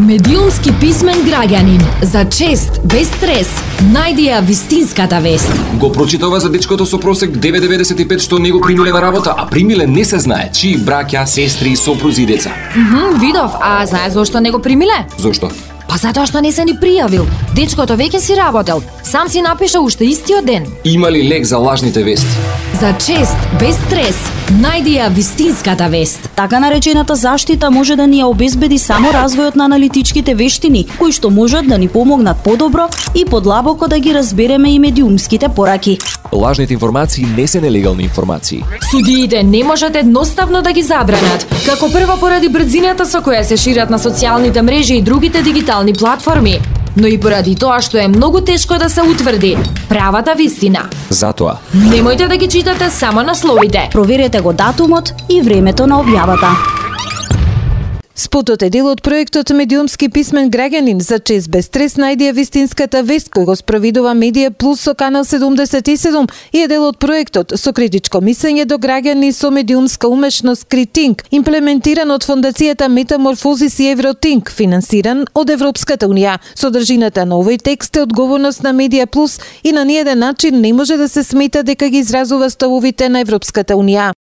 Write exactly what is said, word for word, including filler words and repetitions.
Медиумски писмен граѓанин, за чест, без стрес, најди ја вистинската вест. Го прочитава за дечкото со просек девет целу деветдесет и пет што не го примиле на работа, а примиле не се знае чии браќа, сестри, сопрузи и деца. Мхм, видов, а знае зошто не го примиле? Зошто? Па затоа што не се ни пријавил. Дечкото веќе си работел. Сам си напиша уште истиот ден. Има ли лек за лажните вести? За чест, без стрес, најди ја вистинската вест. Така наречената заштита може да ни ја обезбеди само развојот на аналитичките вештини, кои што можат да ни помогнат подобро и подлабоко да ги разбереме и медиумските пораки. Лажните информации не се нелегални информации. Судиите не можат едноставно да ги забранат, како прво поради брзината со која се шират на социјалните мрежи и другите дигитални платформи, но и поради тоа што е многу тешко да се утврди правата вистина. Затоа, Немојте да ги читате само насловите. Проверете го датумот и времето на објавата. Спотот е дел од проектот Медиумски писмен граѓанин, за чест без стрес најди ја вистинската вест, кој го спроведува Медија Плюс со Канал седумдесет и седум и е дел од проектот со критичко мислење до граѓани со медиумска умешност Критинг, имплементиран од фондацијата Метаморфозис и Евротинг, финансиран од Европската унија. Содржината на овој текст е одговорност на Медија Плюс и на ниеден начин не може да се смета дека ги изразува ставовите на Европската унија.